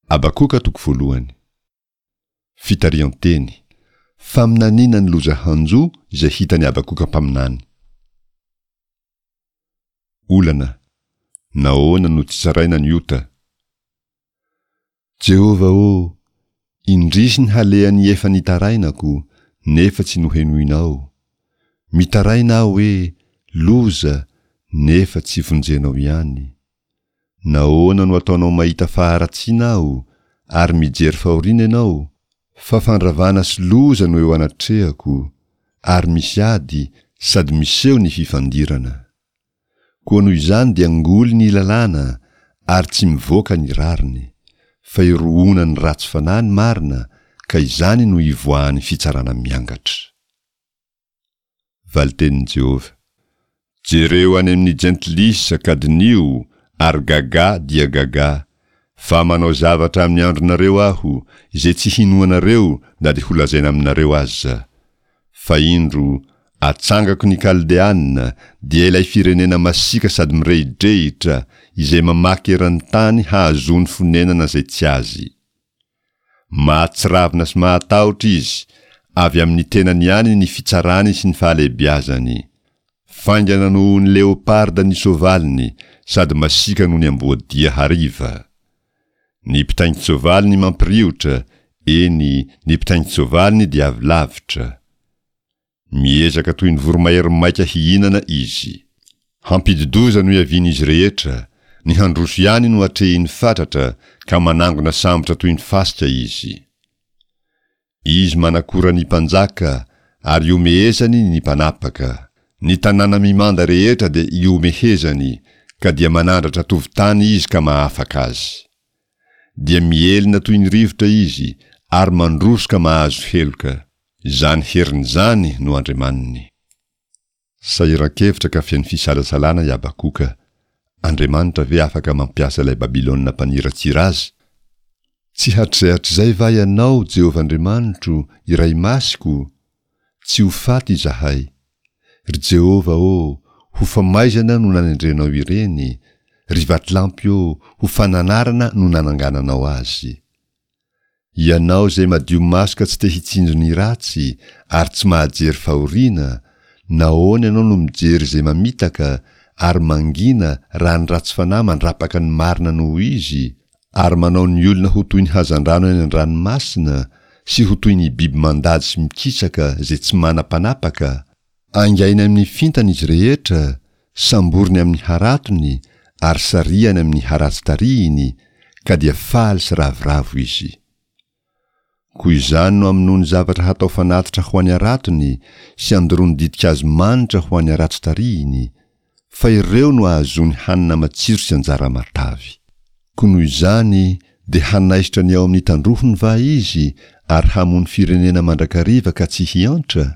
Habakoka toko voalohany. Fitarihan-teny. Faminaniana ny loza hanjo izay hitan'i Habakoka mpaminany. Olana. Nahoana no tsy tsaraina ny ota? Jehovah ô, indrisy ny halehan'ny efa nitarainako, nefa tsy nohenoinao. Mitaraina aho hoe, Loza, nefa tsy vonjenao ihany. Nahoana no ataonao mahita faharatsiana aho, ary mijery fahoriana ianao? Fa fandravana sy loza no eo anatrehako, ary misy ady, sady miseho ny fifandirana. Koa noho izany dia ngoly ny lalàna, ary tsy mivoaka ny rariny. Fa irohona ny ratsy fanahy ny marina, ka izany no ivoahan'ny fitsarana miangatra. Valitenin'i Jehovah. Jereo any amin'ny jentilisa ka diniho, ary gagà dia gagà, fa manao zavatra amin'ny andronareo Aho, izay tsy hinoanareo na dia holazaina aminareo aza. Fa indro, atsangako ny Kaldeana, dia ilay firenena masiaka sady mirehidrehitra, izay mamaky eran'ny tany hahazoany fonenana izay tsy azy. Mahatsiravina sy mahatahotra izy, avy amin'ny tenany ihany ny fitsarany sy ny fahalehibiazany. Faingana noho ny leoparda ny soavaliny sady masiaka noho ny amboadia hariva. Ny mpitaingin-tsoavaliny mampiriotra, eny, ny mpitaingin-tsoavaliny dia avy lavitra. Miezaka toy ny voromahery maika hihinana izy. Hampidi-doza no iavian'izy rehetra, ny handroso ihany no atrehiny fatratra ka manangona sambotra toy ny fasika izy. Izy manakora ny mpanjaka ary ihomehezany ny mpanapaka. Ny tanàna mimanda rehetra dia ihomehezany, ka dia manandratra tovon-tany izy ka mahafaka azy. Dia mihelina toy ny rivotra izy ary mandroso ka mahazo heloka. Izany heriny izany no Andriamaniny. Sahiran-kevitra ka feno fisalasalana i Habakoka. Andriamanitra ve afaka mampiasa ilay Babylona mpaniratsira azy? Tsy hatrizay hatrizay va Ianao, Jehovah Andriamanitro, Iray Masiko? Tsy ho faty izahay. Ry Jehovah ô, ho famaizana no nanendrenao ireny, ry vatolampy ô, ho fananarana no nanangananao azy. Ianao izay madio maso ka tsy te hitsinjo ny ratsy ary tsy mahajery fahoriana, nahoana ianao no mijery izay mamitaka ary mangina raha ny ratsy fanahy mandrapaka ny marina noho izy, ary manao ny olona ho toy ny hazandrano any an-dranomasina sy ho toy ny biby mandady sy mikisaka izay tsy manam-panapaka? Aingainy amin'ny fintana izy rehetra, samboriny amin'ny haratony ary sarihany amin'ny haratsy tarihiny, ka dia faly sy ravoravo izy. Koa izany no amonoany zavatra hatao fanatitra ho an'ny haratony sy andoroany ditin-kazo manitra ho an'ny haratsy tarihiny, fa ireo no ahazoany hanina matsiro sy anjara matavy. Koa noho izany dia hanaisotra ny ao amin'ny tandrohony va izy ary hamono firenena mandrakariva ka tsy hiantra?